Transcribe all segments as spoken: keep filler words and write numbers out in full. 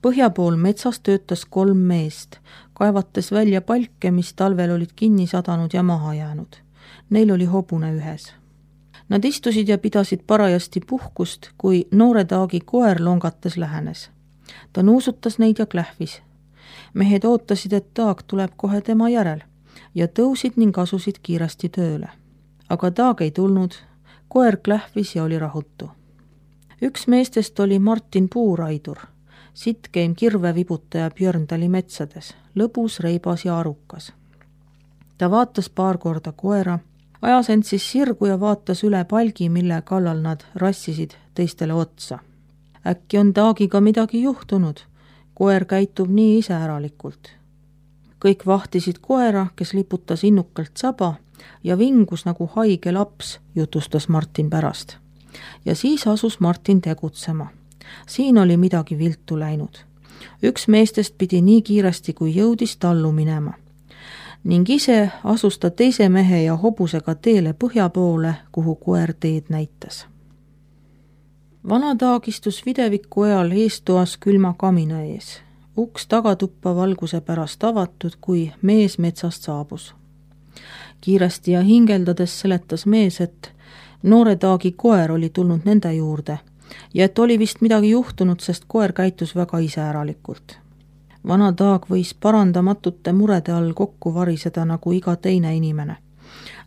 Põhja pool metsas töötas kolm meest, kaevates välja palke, mis talvel olid kinni sadanud ja maha jäänud. Neil oli hobune ühes. Nad istusid ja pidasid parajasti puhkust, kui noore Taagi koer longates lähenes. Ta nuusutas neid ja klähvis. Mehed ootasid, et Taag tuleb kohe tema järel ja tõusid ning asusid kiiresti tööle. Aga Taag ei tulnud, koer klähvis ja oli rahutu. Üks meestest oli Martin Puuraidur, sitkeim kirvevibutaja Björndali metsades, lõbus, reibas ja arukas. Ta vaatas paar korda koera, ajas end siis sirgu ja vaatas üle palgi, mille kallal nad rassisid teistele otsa. Äkki on Taagiga midagi juhtunud, koer käitub nii iseäralikult. Kõik vahtisid koera, kes liputas innukalt saba ja vingus nagu haige laps, jutustas Martin pärast. Ja siis asus Martin tegutsema. Siin oli midagi viltu läinud. Üks meestest pidi nii kiiresti, kui jõudis tallu minema. Ning ise asus ta teise mehe ja hobusega teele põhja poole, kuhu koer teed näitas. Vana Taag istus videviku ajal eestoas külma kamina ees. Uks tagatuppa valguse pärast avatud, kui mees metsast saabus. Kiiresti ja hingeldades seletas mees, et noore Taagi koer oli tulnud nende juurde ja et oli vist midagi juhtunud, sest koer käitus väga iseäralikult. Vana Taag võis parandamatute murede all kokku variseda nagu iga teine inimene,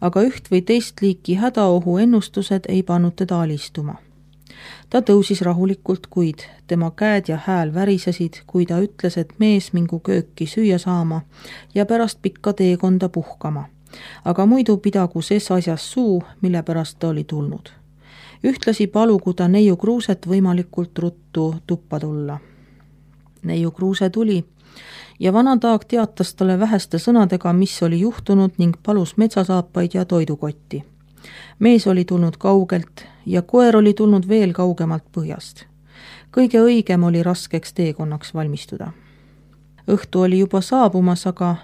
aga üht või teist liiki hädaohu ennustused ei pannud teda alistuma. Ta tõusis rahulikult, kuid tema käed ja hääl värisesid, kui ta ütles, et mees mingu kööki süüa saama ja pärast pikka teekonda puhkama, aga muidu pidagu ses asjas suu, mille pärast ta oli tulnud. Ühtlasi palugu ta Neiu Kruuset võimalikult ruttu tuppa tulla. Neiu Kruuse tuli ja Vana Taag teatas talle väheste sõnadega, mis oli juhtunud ning palus metsasaapaid ja toidukotti. Mees oli tulnud kaugelt ja koer oli tulnud veel kaugemalt põhjast. Kõige õigem oli raskeks teekonnaks valmistuda. Õhtu oli juba saabumas, aga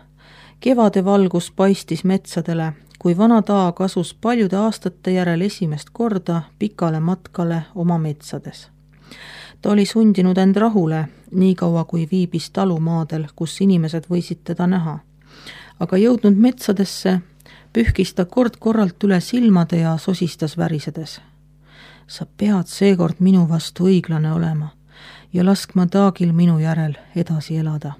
kevade valgus paistis metsadele, kui Vana Taag asus paljude aastate järel esimest korda pikale matkale oma metsades. Ta oli sundinud end rahule, nii kaua kui viibis talumaadel, kus inimesed võisid teda näha. Aga jõudnud metsadesse, pühkis ta kord korralt üle silmade ja sosistas värisedes. Sa pead seekord minu vastu õiglane olema ja laskma Taagil minu järel edasi elada.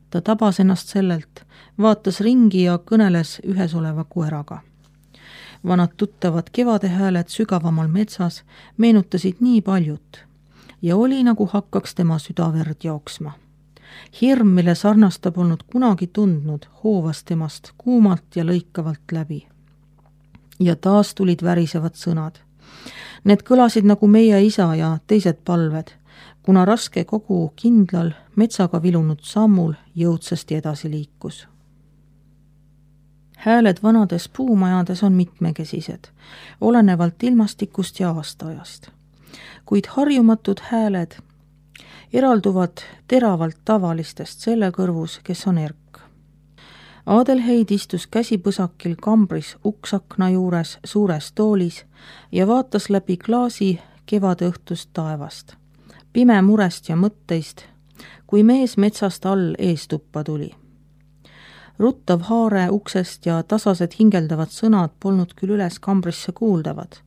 Ta tabas ennast sellelt, vaatas ringi ja kõneles ühes oleva koeraga. Vanad tuttavad kevadehääled sügavamal metsas meenutasid nii paljut ja oli nagu hakkaks tema südaverd jooksma. Hirm, mille sarnast ta polnud kunagi tundnud, hoovas temast kuumalt ja lõikavalt läbi. Ja taas tulid värisevad sõnad. Need kõlasid nagu meie isa ja teised palved, kuna raske kogu kindlal metsaga vilunud sammul jõudsasti edasi liikus. Hääled vanades puumajades on mitmekesised, olenevalt ilmastikust ja aastaajast. Kuid harjumatud hääled eralduvad teravalt tavalistest selle kõrvus, kes on erk. Adelheid istus käsipõsakil kambris uksakna juures suures toolis ja vaatas läbi klaasi kevadõhtust taevast. Pime murest ja mõtteist, kui mees metsast all eestuppa tuli. Ruttav haare uksest ja tasased hingeldavad sõnad polnud küll üles kambrisse kuuldavad,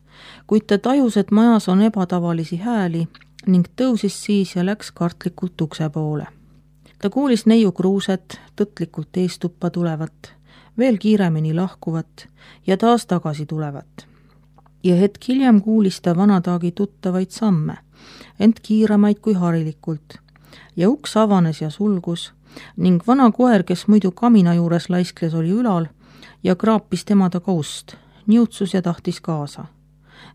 kuid ta tajus, et majas on ebatavalisi hääli ning tõusis siis ja läks kartlikult ukse poole. Ta kuulis Neiu Kruuset tõtlikult eestuppa tulevat, veel kiiremini lahkuvat ja taas tagasi tulevat. Ja hetk hiljem kuulis ta Vana Taagi tuttavaid samme, ent kiiremaid kui harilikult. Ja uks avanes ja sulgus ning vana koer, kes muidu kamina juures laiskles, oli ülal ja kraapis tema taga ust, niutsus ja tahtis kaasa.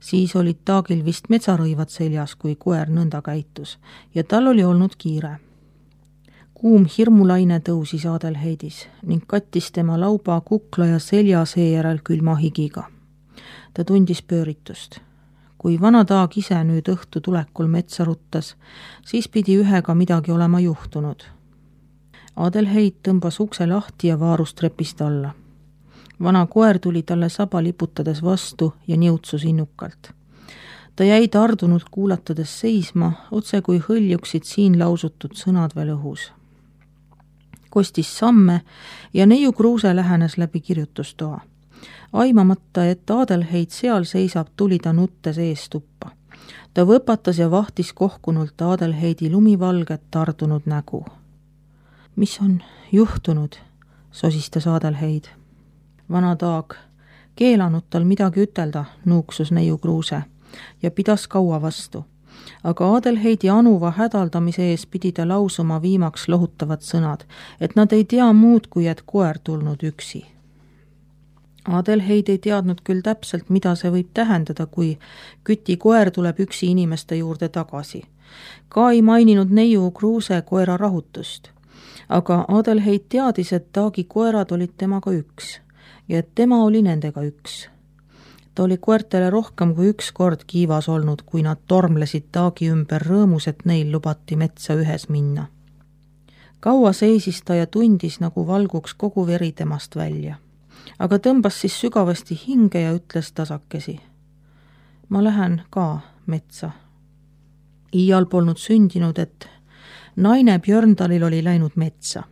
Siis olid Taagil vist metsarõivad seljas, kui koer nõnda käitus ja tal oli olnud kiire. Kuum hirmulaine tõusis Adelheidis ning kattis tema lauba, kukla ja selja seejärel külma higiga. Ta tundis pööritust. Kui Vana Taag ise nüüd õhtu tulekul metsa ruttas, siis pidi ühega midagi olema juhtunud. Adelheid tõmbas ukse lahti ja vaarus trepist alla. Vana koer tuli talle saba liputades vastu ja niutsus innukalt. ta jäi tardunult kuulatades seisma, otse kui hõljuksid siin lausutud sõnad veel õhus. Kostis samme ja neiu Kruuse lähenes läbi kirjutustoa. Aimamata, et Adelheid seal seisab, tuli ta nuttes ees tuppa. Ta võpatas ja vahtis kohkunult Adelheidi lumivalget tardunud nägu. Mis on juhtunud, sosistas Adelheid. Vana Taag, keelanud tal midagi ütelda, nuuksus neiu Kruuse ja pidas kaua vastu. Aga Adelheidi anuva hädaldamise ees pidi ta lausuma viimaks lohutavad sõnad, et nad ei tea muud, kui et koer tulnud üksi. Adelheid ei teadnud küll täpselt, mida see võib tähendada, kui Küti koer tuleb üksi inimeste juurde tagasi. Ka ei maininud neiu Kruuse koera rahutust. Aga Adelheid teadis, et Taagi koerad olid temaga üks ja et tema oli nendega üks. Ta oli koertele rohkem kui üks kord kiivas olnud, kui nad tormlesid Taagi ümber rõõmus, et neil lubati metsa ühes minna. Kaua seisis ta ja tundis, nagu valguks kogu veri temast välja. Aga tõmbas siis sügavasti hinge ja ütles tasakesi. Ma lähen ka metsa. Iial polnud sündinud, et naine Björndalil oli läinud metsa.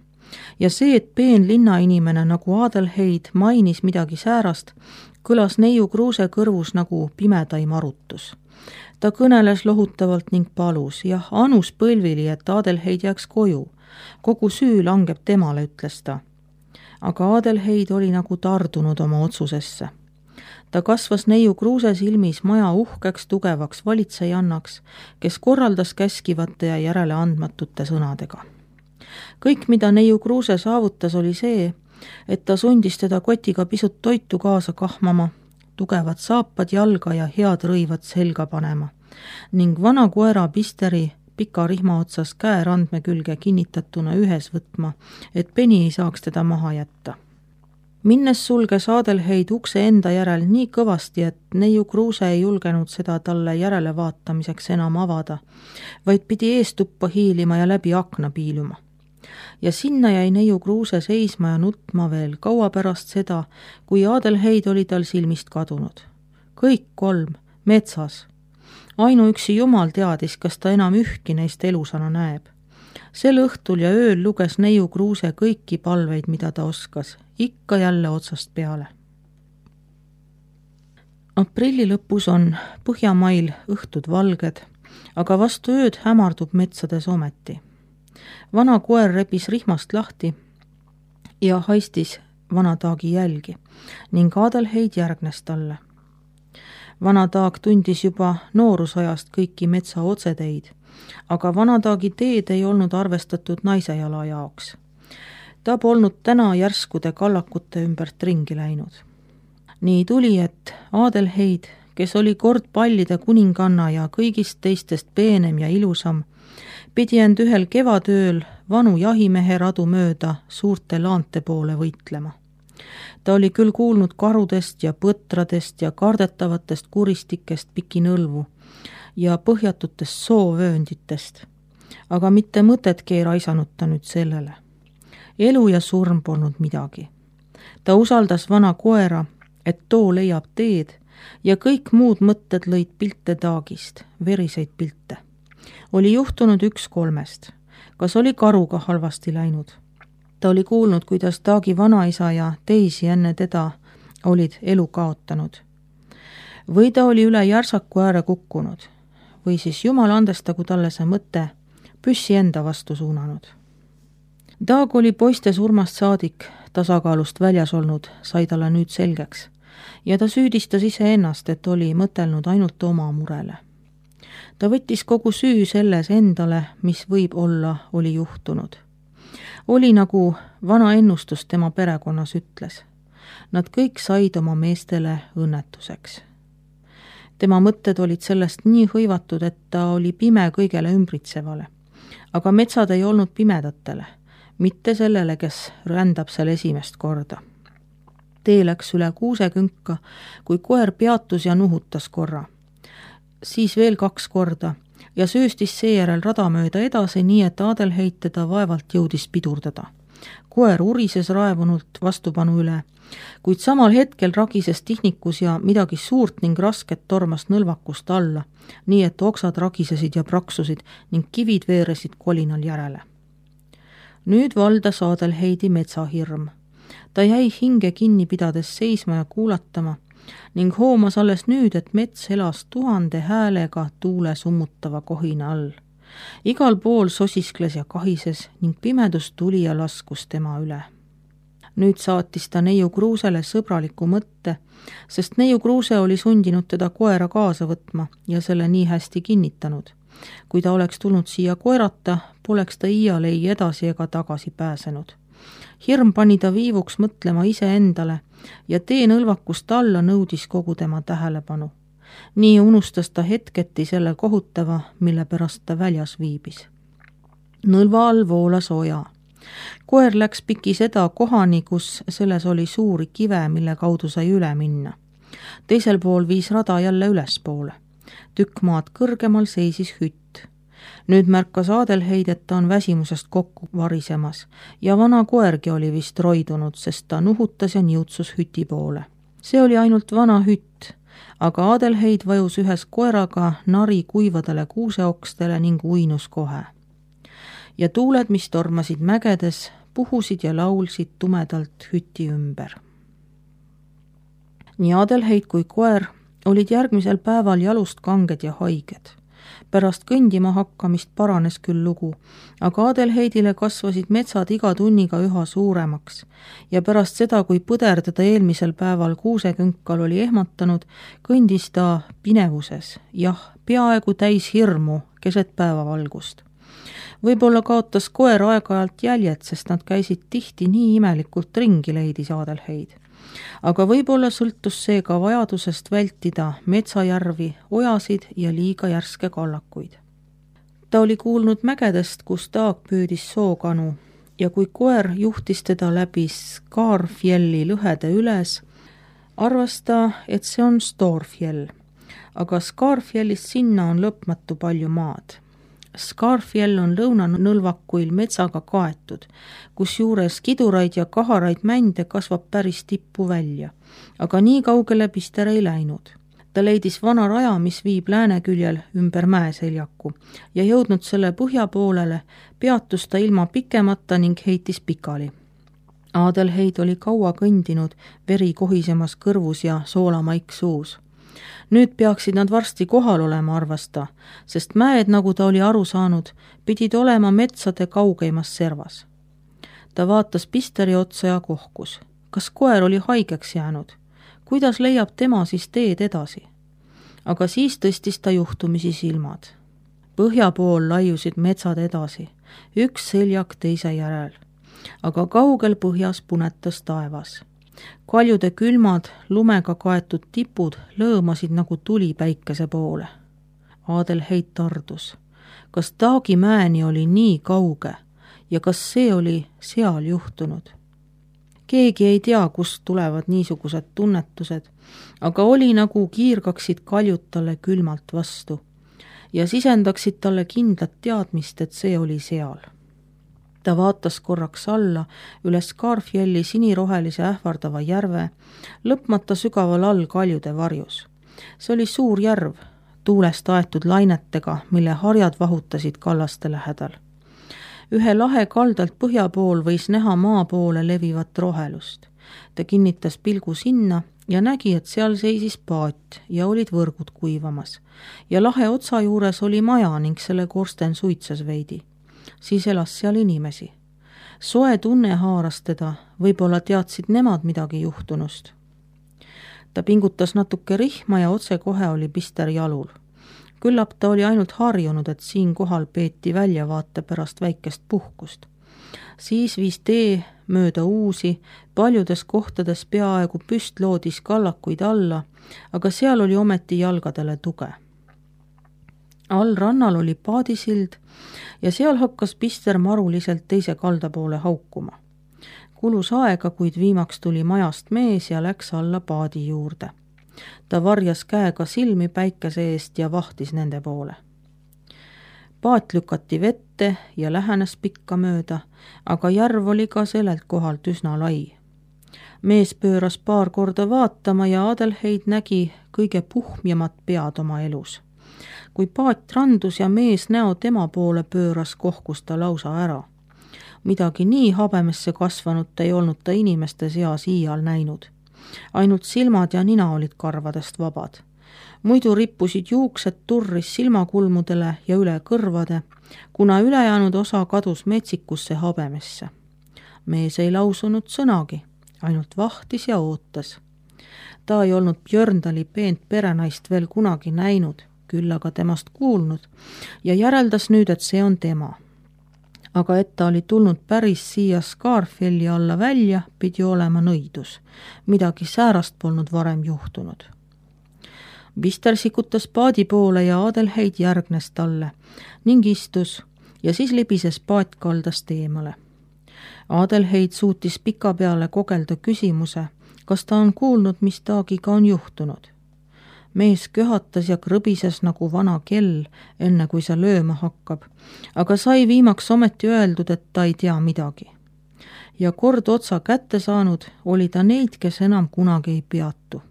Ja see, et peen linnainimene nagu Adelheid mainis midagi säärast, kõlas neiu Kruuse kõrvus nagu pimedaim arutus. Ta kõneles lohutavalt ning palus, jah, anus põlvili, et Adelheid jääks koju. Kogu süü langeb temale, ütles ta. Aga Adelheid oli nagu tardunud oma otsusesse. Ta kasvas neiu Kruuse silmis maja uhkeks tugevaks valitsejannaks, kes korraldas käskivate ja järeleandmatute sõnadega. Kõik, mida neiu Kruuse saavutas, oli see, et ta sundis teda kotiga pisut toitu kaasa kahmama, tugevad saapad jalga ja head rõivad selga panema ning vana koera Pisteri pika rihma otsas käe randme külge kinnitatuna ühes võtma, et peni ei saaks teda maha jätta. Minnes sulges Adelheid ukse enda järel nii kõvasti, et neiu Kruuse ei julgenud seda talle järele vaatamiseks enam avada, vaid pidi eestuppa hiilima ja läbi akna piiluma. Ja sinna jäi neiu Kruuse seisma ja nutma veel kaua pärast seda, kui Adelheid oli tal silmist kadunud. Kõik kolm, metsas. Ainuüksi Jumal teadis, kas ta enam ühki neist elusana näeb. Sel õhtul ja ööl luges neiu Kruuse kõiki palveid, mida ta oskas, ikka jälle otsast peale. Aprilli lõpus on Põhjamail õhtud valged, aga vastu ööd hämardub metsades ometi. Vana koer rebis rihmast lahti ja haistis vana Taagi jälgi ning Adelheid järgnes talle. Vana Taag tundis juba noorusajast kõiki metsa otseteid, aga vana Taagi teed ei olnud arvestatud naise jala jaoks. Ta polnud täna järskude kallakute ümbert ringi läinud. Nii tuli, et Adelheid, kes oli kord pallide kuninganna ja kõigist teistest peenem ja ilusam, pidi end ühel kevadööl vanu jahimehe radu mööda suurte laante poole võitlema. Ta oli küll kuulnud karudest ja põtradest ja kardetavatest kuristikest pikinõlvu ja põhjatutest soovöönditest, aga mitte mõtetki ei raisanud ta nüüd sellele. Elu ja surm polnud midagi. Ta usaldas vana koera, et too leiab teed ja kõik muud mõtted lõid pilte Taagist, veriseid pilte. Oli juhtunud üks kolmest. Kas oli karuga halvasti läinud? Ta oli kuulnud, kuidas Taagi vanaisa ja teisi enne teda olid elu kaotanud. Või ta oli üle järsaku ääre kukkunud. Või siis Jumal andestagu talle see mõte püssi enda vastu suunanud. Taag oli poiste surmast saadik tasakaalust väljas olnud, sai talle nüüd selgeks. Ja ta süüdistas iseennast, et oli mõtelnud ainult oma murele. Ta võttis kogu süü selles endale, mis võib olla oli juhtunud. Oli nagu vana ennustus tema perekonnas ütles. Nad kõik said oma meestele õnnetuseks. Tema mõtted olid sellest nii hõivatud, et ta oli pime kõigele ümbritsevale. Aga metsad ei olnud pimedatele, mitte sellele, kes rändab seal esimest korda. Tee läks üle kuusekünka, kui koer peatus ja nuhutas korra. Siis veel kaks korda ja sööstis seejärel rada mööda edasi, nii et Adelheid teda vaevalt jõudis pidurdada. koer urises raevunult vastupanu üle, kuid samal hetkel ragises tihnikus ja midagi suurt ning rasket tormas nõlvakust alla, nii et oksad ragisesid ja praksusid ning kivid veeresid kolinal järele. Nüüd valdas Adelheidi metsahirm. Ta jäi hinge kinni pidades seisma ja kuulatama ning hoomas alles nüüd, et mets elas tuhande häälega tuule summutava kohina all. Igal pool sosiskles ja kahises ning pimedus tuli ja laskus tema üle. Nüüd saatis ta Neiu Kruusele sõbraliku mõtte, sest Neiu Kruuse oli sundinud teda koera kaasa võtma ja selle nii hästi kinnitanud. Kui ta oleks tulnud siia koerata, poleks ta iial ei edasi ega tagasi pääsenud. Hirm pani ta viivuks mõtlema ise endale ja tee nõlvakust alla nõudis kogu tema tähelepanu. Nii unustas ta hetketi selle kohutava, mille pärast ta väljas viibis. Nõlva all voolas oja. Koer läks piki seda kohani, kus selles oli suuri kive, mille kaudu sai üle minna. Teisel pool viis rada jälle ülespoole. Tükk maad kõrgemal seisis hütt. Nüüd märkas Adelheid, et ta on väsimusest kokku varisemas ja vana koergi oli vist roidunud, sest ta nuhutas ja niutsus hüti poole. See oli ainult vana hütt, aga Adelheid vajus ühes koeraga nari kuivadele kuuseokstele ning uinus kohe. Ja tuuled, mis tormasid mägedes, puhusid ja laulsid tumedalt hüti ümber. Nii Adelheid kui koer olid järgmisel päeval jalust kanged ja haiged. Pärast kõndima hakkamist paranes küll lugu, aga Adelheidile kasvasid metsad iga tunniga üha suuremaks ja pärast seda, kui põder teda eelmisel päeval kuusekünkal oli ehmatanud, kõndis ta pinevuses, jah, peaaegu täis hirmu keset päevavalgust. Võib-olla kaotas koer aeg-ajalt jäljed, sest nad käisid tihti nii imelikult ringi, leidis Adelheid. Aga võib-olla sõltus see ka vajadusest vältida metsajärvi, ojasid ja liiga järske kallakuid. Ta oli kuulnud mägedest, kus taag püüdis sookanu ja kui koer juhtis teda läbi Skarfjelli lõhede üles, arvas ta, et see on Storfjell, aga Skarfjellist sinna on lõpmatu palju maad. Skarfjell on lõunanõlvakuil metsaga kaetud, kus juures kiduraid ja kaharaid mände kasvab päris tippu välja, aga nii kaugele Pister ei läinud. Ta leidis vana raja, mis viib lääneküljel ümber mäeseljaku ja jõudnud selle põhja poolele, peatus ta ilma pikemata ning heitis pikali. Adelheid oli kaua kõndinud, veri kohisemas kõrvus ja soolamaik suus. Nüüd peaksid nad varsti kohal olema, arvas ta, sest mäed, nagu ta oli aru saanud, pidid olema metsade kaugeimas servas. Ta vaatas Pisteri otsa ja kohkus. Kas koer oli haigeks jäänud? Kuidas leiab tema siis teed edasi? Aga siis tõstis ta juhtumisi silmad. Põhja pool laiusid metsad edasi, üks seljak teise järel, aga kaugel põhjas punetas taevas. Kaljude külmad, lumega kaetud tipud lõõmasid nagu tuli päikese poole. Adelheid tardus. Kas Taagimäeni oli nii kauge ja kas see oli seal juhtunud? Keegi ei tea, kust tulevad niisugused tunnetused, aga oli nagu kiirgaksid kaljud talle külmalt vastu ja sisendaksid talle kindlat teadmist, et see oli seal. Ta vaatas korraks alla üle Skarfjelli sinirohelise ähvardava järve, lõpmata sügaval all kaljude varjus. See oli suur järv, tuulest aetud lainetega, mille harjad vahutasid kallaste lähedal. Ühe lahe kaldalt põhja pool võis näha maa poole levivat rohelust. Ta kinnitas pilgu sinna ja nägi, et seal seisis paat ja olid võrgud kuivamas. Ja lahe otsa juures oli maja ning selle korsten suitses veidi. Siis elas seal inimesi. Soe tunne haaras teda, võib-olla teadsid nemad midagi juhtunust. Ta pingutas natuke rihma ja otse kohe oli Pister jalul. Küllap ta oli ainult harjunud, et siin kohal peeti väljavaate pärast väikest puhkust. Siis viis tee mööda uusi, paljudes kohtades peaaegu püstloodis kallakuid alla, aga seal oli ometi jalgadele tuge. All rannal oli paadisild ja seal hakkas Pister maruliselt teise kalda poole haukuma. Kulus aega, kuid viimaks tuli majast mees ja läks alla paadi juurde. Ta varjas käega silmi päikese eest ja vahtis nende poole. paat lükati vette ja lähenes pikka mööda, aga järv oli ka sellelt kohalt üsna lai. Mees pööras paar korda vaatama ja Adelheid nägi kõige puhmjamat pead oma elus. Kui paat randus ja mees näo tema poole pööras, kohkus ta lausa ära. Midagi nii habemesse kasvanut ei olnud ta inimeste seas iial näinud. Ainult silmad ja nina olid karvadest vabad. Muidu rippusid juuksed turris silmakulmudele ja üle kõrvade, kuna ülejäänud osa kadus metsikusse habemesse. Mees ei lausunud sõnagi, ainult vahtis ja ootas. Ta ei olnud Björndali peent perenaist veel kunagi näinud, küll aga temast kuulnud, ja järeldas nüüd, et see on tema. Aga et ta oli tulnud päris siia Skarfelli alla välja, pidi olema nõidus. Midagi säärast polnud varem juhtunud. Bister sikutas paadi poole ja Adelheid järgnes talle ning istus ja siis libises paat kaldast eemale. Adelheid suutis pika peale kogelda küsimuse, kas ta on kuulnud, mis taagiga on juhtunud. Mees köhatas ja krõbises nagu vana kell, enne kui see lööma hakkab, aga sai viimaks ometi öeldud, et ta ei tea midagi. Ja kord otsa kätte saanud, oli ta neid, kes enam kunagi ei peatu.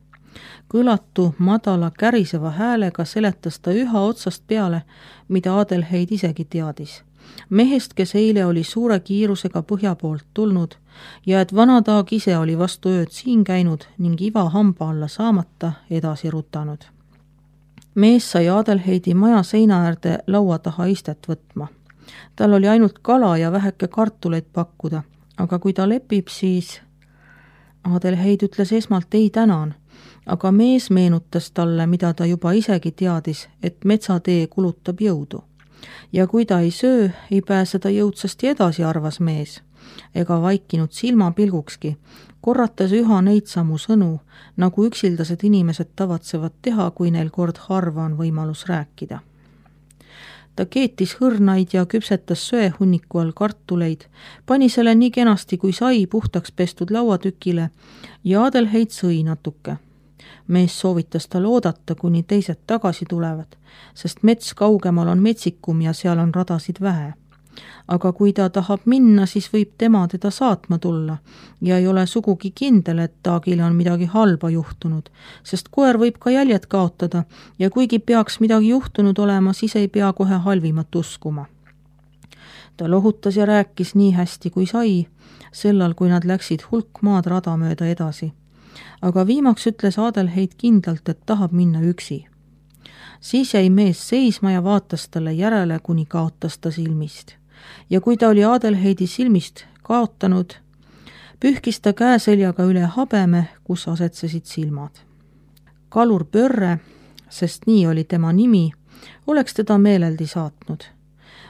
Kõlatu, madala, käriseva häälega seletas ta üha otsast peale, mida Adelheid isegi teadis. Mehest, kes eile oli suure kiirusega põhja poolt tulnud ja et vanataag ise oli vastu ööd siin käinud ning iva hamba alla saamata edasi rutanud. Mees sai Adelheidi maja seina äärde laua taha istet võtma. Tal oli ainult kala ja väheke kartuleid pakkuda, aga kui ta lepib, siis... Adelheid ütles esmalt ei tänan, aga mees meenutas talle, mida ta juba isegi teadis, et metsatee kulutab jõudu. Ja kui ta ei söö, ei pääse ta jõudsasti edasi, arvas mees, ega vaikinud silmapilgukski, korrates üha neid samu sõnu, nagu üksildased inimesed tavatsevad teha, kui neil kord harva on võimalus rääkida. Ta keetis hõrnaid ja küpsetas söehunniku all kartuleid, pani selle nii kenasti kui sai puhtaks pestud lauatükile ja Adelheid sõi natuke. Mees soovitas tal oodata, kuni teised tagasi tulevad, sest mets kaugemal on metsikum ja seal on radasid vähe. Aga kui ta tahab minna, siis võib tema teda saatma tulla ja ei ole sugugi kindel, et taagile on midagi halba juhtunud, sest koer võib ka jäljed kaotada ja kuigi peaks midagi juhtunud olema, siis ei pea kohe halvimat uskuma. Ta lohutas ja rääkis nii hästi kui sai, sellal kui nad läksid hulk maad rada mööda edasi. Aga viimaks ütles Adelheid kindlalt, et tahab minna üksi. Siis jäi mees seisma ja vaatas talle järele, kuni kaotas ta silmist. Ja kui ta oli Adelheidi silmist kaotanud, pühkis ta käeseljaga üle habeme, kus asetsesid silmad. Kalur Pörre, sest nii oli tema nimi, oleks teda meeleldi saatnud.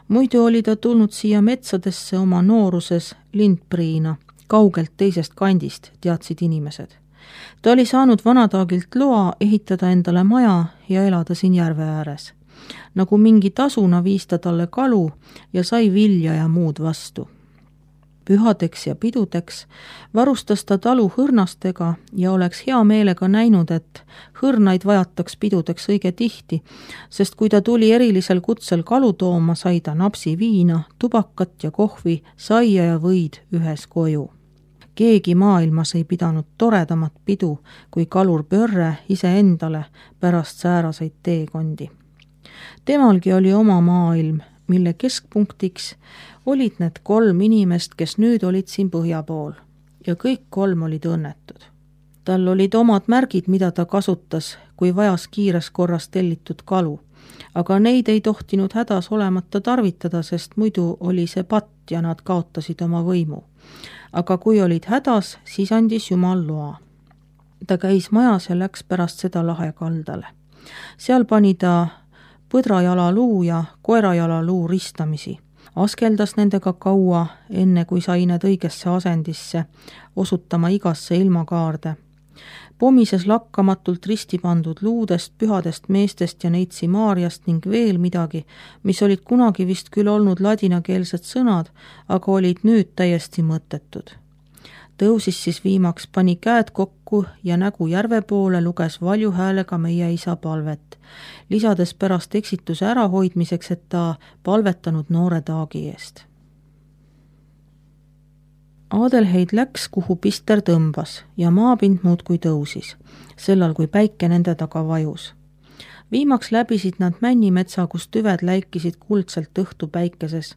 Muidu oli ta tulnud siia metsadesse oma nooruses lindpriina, kaugelt teisest kandist, teadsid inimesed. Ta oli saanud vanataagilt loa ehitada endale maja ja elada siin järve ääres. Nagu mingi tasuna viis ta talle kalu ja sai vilja ja muud vastu. Pühadeks ja pidudeks varustas ta talu hõrnastega ja oleks hea meelega näinud, et hõrnaid vajataks pidudeks õige tihti, sest kui ta tuli erilisel kutsel kalu tooma, sai ta napsi viina, tubakat ja kohvi, saia ja võid ühes koju. Keegi maailmas ei pidanud toredamat pidu kui Kalur Pörre iseendale pärast sääraseid teekondi. Temalgi oli oma maailm, mille keskpunktiks olid need kolm inimest, kes nüüd olid siin põhja pool ja kõik kolm olid õnnetud. Tal olid omad märgid, mida ta kasutas, kui vajas kiires korras tellitud kalu, aga neid ei tohtinud hädas olemata tarvitada, sest muidu oli see patt ja nad kaotasid oma võimu. Aga kui olid hädas, siis andis Jumal loa. Ta käis majas ja läks pärast seda lahe kaldale. Seal pani ta põdrajalaluu ja koerajalaluu ristamisi. Askeldas nendega kaua, enne kui sai need õigesse asendisse, osutama igasse ilmakaarde. Pomises lakkamatult risti pandud luudest, pühadest meestest ja neitsi Maarjast ning veel midagi, mis olid kunagi vist küll olnud ladinakeelsed sõnad, aga olid nüüd täiesti mõttetud. Tõusis siis viimaks, pani käed kokku ja nägu järve poole, luges valju häälega meie isa palvet, lisades pärast eksituse ärahoidmiseks, et ta palvetanud noore Taagi eest. Adelheid läks, kuhu Pister tõmbas ja maapind muudkui tõusis, sellal kui päike nende taga vajus. Viimaks läbisid nad männimetsa, kus tüved läikisid kuldselt õhtu päikeses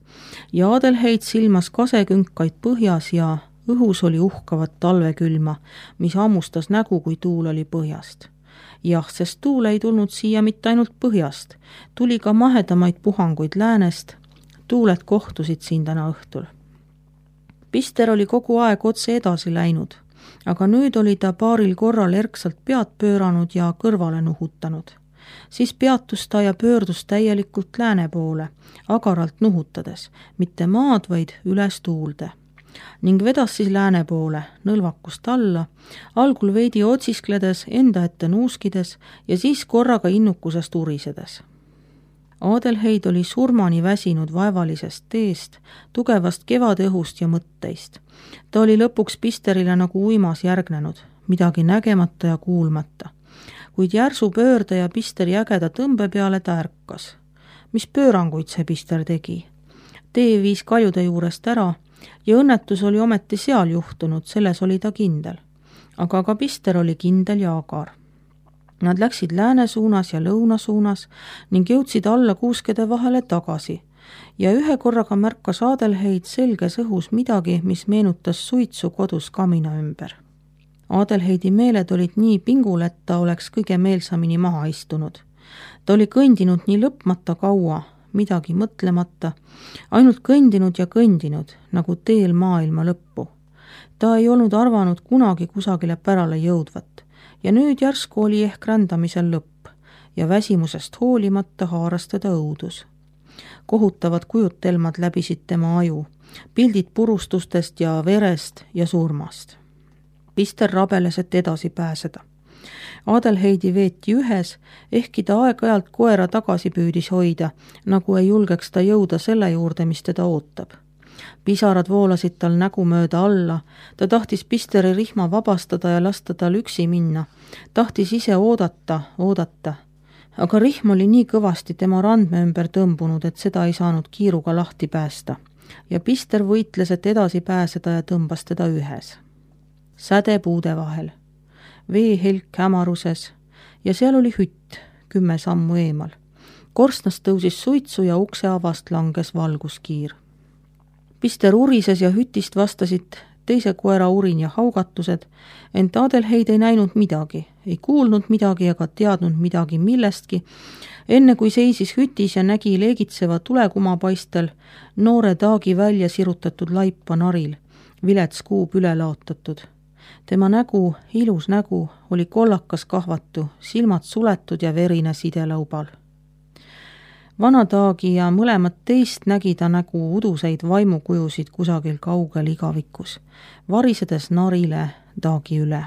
ja Adelheid silmas kasekünkaid põhjas ja õhus oli uhkavat talvekülma, mis hammustas nägu, kui tuul oli põhjast. Jah, sest tuul ei tulnud siia mitte ainult põhjast, tuli ka mahedamaid puhanguid läänest, tuuled kohtusid siin täna õhtul. Pister oli kogu aeg otse edasi läinud, aga nüüd oli ta paaril korral erksalt pead pööranud ja kõrvale nuhutanud. Siis peatus ta ja pöördus täielikult lääne poole, agaralt nuhutades, mitte maad, vaid üles tuulde. Ning vedas siis lääne poole, nõlvakust alla, algul veidi otsiskledes, enda ette nuuskides ja siis korraga innukusest urisedes. Adelheid oli surmani väsinud vaevalisest teest, tugevast kevadõhust ja mõtteist. Ta oli lõpuks Pisterile nagu uimas järgnenud, midagi nägemata ja kuulmata. Kuid järsu pöörde ja Pisteri ägeda tõmbe peale ta ärkas. Mis pööranguid see Pister tegi? Tee viis kaljude juurest ära ja õnnetus oli ometi seal juhtunud, selles oli ta kindel. Aga ka Pister oli kindel ja agar. Nad läksid lääne suunas ja lõuna suunas ning jõudsid alla kuuskede vahele tagasi ja ühe korraga märkas Adelheid selges õhus midagi, mis meenutas suitsu kodus kamina ümber. Adelheidi meeled olid nii pingul, et ta oleks kõige meelsamini maha istunud. Ta oli kõndinud nii lõpmata kaua, midagi mõtlemata, ainult kõndinud ja kõndinud, nagu teel maailma lõppu. Ta ei olnud arvanud kunagi kusagile pärale jõudvat ja nüüd järsku oli ehk rändamisel lõpp ja väsimusest hoolimata haaras teda õudus. Kohutavad kujutelmad läbisid tema aju, pildid purustustest ja verest ja surmast. Pister rabeles, et edasi pääseda. Adelheidi veeti ühes, ehkki ta aeg-ajalt koera tagasi püüdis hoida, nagu ei julgeks ta jõuda selle juurde, mis teda ootab. Pisarad voolasid tal nägu mööda alla, ta tahtis Pisteri rihma vabastada ja lasta tal üksi minna, tahtis ise oodata, oodata. Aga rihm oli nii kõvasti tema randme ümber tõmbunud, et seda ei saanud kiiruga lahti päästa ja Pister võitles, et edasi pääseda ja tõmbas teda ühes. Säde puude vahel, veehelk hämaruses ja seal oli hütt kümme sammu eemal. Korstnast tõusis suitsu ja ukse avast langes valguskiir. Pister urises ja hütist vastasid teise koera urin ja haugatused, ent Adelheid ei näinud midagi, ei kuulnud midagi ega teadnud midagi millestki, enne kui seisis hütis ja nägi leegitseva tulekuma paistel noore Taagi välja sirutatud laipa naril, vilets kuub üle laotatud. Tema nägu, ilus nägu, oli kollakas kahvatu, silmad suletud ja verine sidelaubal. Vana Taagi ja mõlemad teist nägi ta nägu uduseid vaimukujusid kusagil kaugel igavikus, varisedes narile Taagi üle.